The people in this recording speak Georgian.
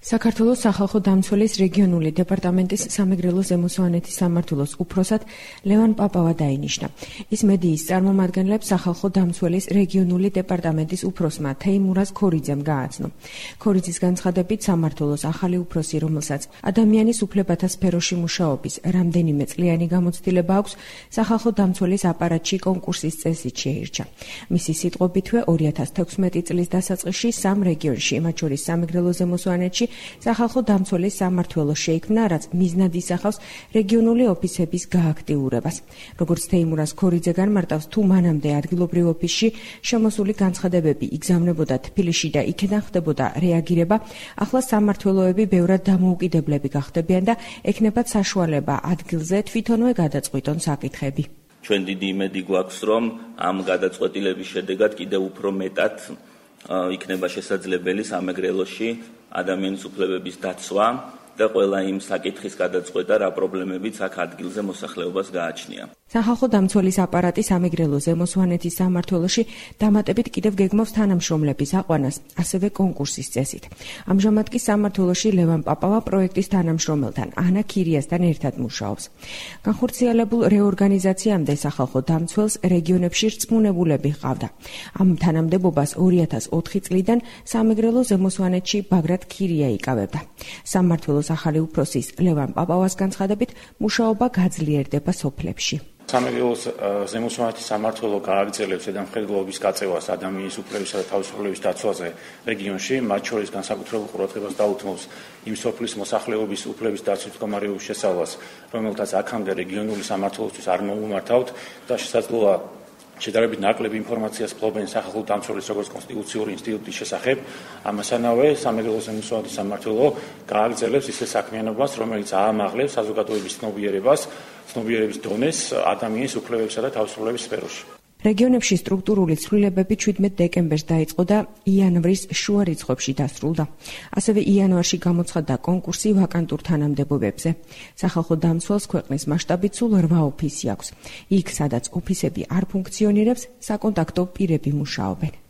საქართველოს სახალხო დამცველის რეგიონული დეპარტამენტის სამეგრელო ზემო-სვანეთის სამმართველოს უფროსად ლევან პაპავა დაინიშნა. ის მედიის წარმომადგენლებს სახალხო დამცველის რეგიონული დეპარტამენტის უფროსმა თეიმურაზ ქორიძემ გააცნო. ქორიძის განცხადებით სამმართველოს ახალი უფროსი, რომელსაც ადამიანის უფლებათა სფეროში მუშაობის რამდენიმე წლიანი გამოცდილება აქვს, სახალხო დამცველის აპარატში კონკურსის წესით შეირჩა. მისი სიტყვებითვე 2016 წლის დასაწყისში სამ რეგიონში, მათ შორის სამეგრელო ზემო-სვანეთში სახალხო დამცველის სამმართველო შეიქმნა, რაც მიზნად ისახავს რეგიონული ოფისების გააქტიურებას. როგორც თეიმურაზ ქორიძე განმარტავს, თუ მანამდე ადგილობრივ ოფისში შემოსული განცხადებები იგზავნებოდა თბილისში და იქედან ხდებოდა რეაგირება, ახლა სამმართველოები ბევრად დამოუკიდებლები გახდებიან და ექნებათ საშუალება ადგილზე თვითონვე გადაწყვიტონ საკითხები. ჩვენ დიდი იმედი გვაქვს, რომ ამ გადაწყვეტილების შედეგად კიდევ უფრო მეტად იქნება შესაძლებელი სამეგრელოში ადამიანის უფლებების დაცვა და ყველა იმ საკითხის გადაწყვეტა, რა პრობლემებიც აქ ადგილზე მოსახლეობას გააჩნია. სახალხო დამცველის აპარატი სამეგრელო ზემო-სვანეთის სამმართველოში დამატებით კიდევ გეგმავს თანამშრომლების აყვანას, ასევე კონკურსის წესით. ამჟამად კი სამმართველოში ლევან პაპავა პროექტის თანამშრომელთან ანა ქირიასთან ერთად მუშაობს. განხორციელებულ რეორგანიზაციამდე სახალხო დამცველს რეგიონებში რწმუნებულები ჰყავდა. ამ თანამდებობას 2004 წლიდან სამეგრელო ზემო-სვანეთში ბაგრატ ქირია იკავებდა. სამმართველოს ახალი უფროსის ლევან პაპავას განცხადებით, მუშაობა გაძლიერდება სოფლებში. სამეგრელოს ზემო-სვანეთის სამმართველო გააგრძელებს ზედამხედველობის გაწევას ადამიანის უფლებისა და თავისუფლების დაცვაზე რეგიონში, მათ შორის განსაკუთრებულ ყურადღებას დაუთმობს იმ სოფლის მოსახლეობის უფლების დაცვის მდგომარეობის შესწავლას, რომელთაც აქამდე რეგიონული სამმართველოსთვის არ მოუმართავთ და შესაძლოა შედარებით ნაკლები ინფორმაციას ფლობენ სახალხო დამცველის როგორც კონსტიტუციური ინსტიტუტის შესახებ. ამასთანავე სამეგრელოს ზემო-სვანეთის სამმართველო გააგრძელებს ისე საქმიანობას, რომელიც აამაღლებს საზოგადოების ცნობიერების დონეს ადამიანის უფლებებისა და თავისუფლების სფეროში. რეგიონებში სტრუქტურული ცვლილებები 17 დეკემბერს დაიწყო და იანვრის შუა რიცხვებში დასრულდა. ასევე იანვარში გამოცხადდა კონკურსი ვაკანტურ თანამდებობებზე. სახალხო დამცველს ქვეყნის მასშტაბით სულ 8 ოფისი აქვს. იქ, სადაც ოფისები არ ფუნქციონირებს, საკონტაქტო პირები მუშაობენ.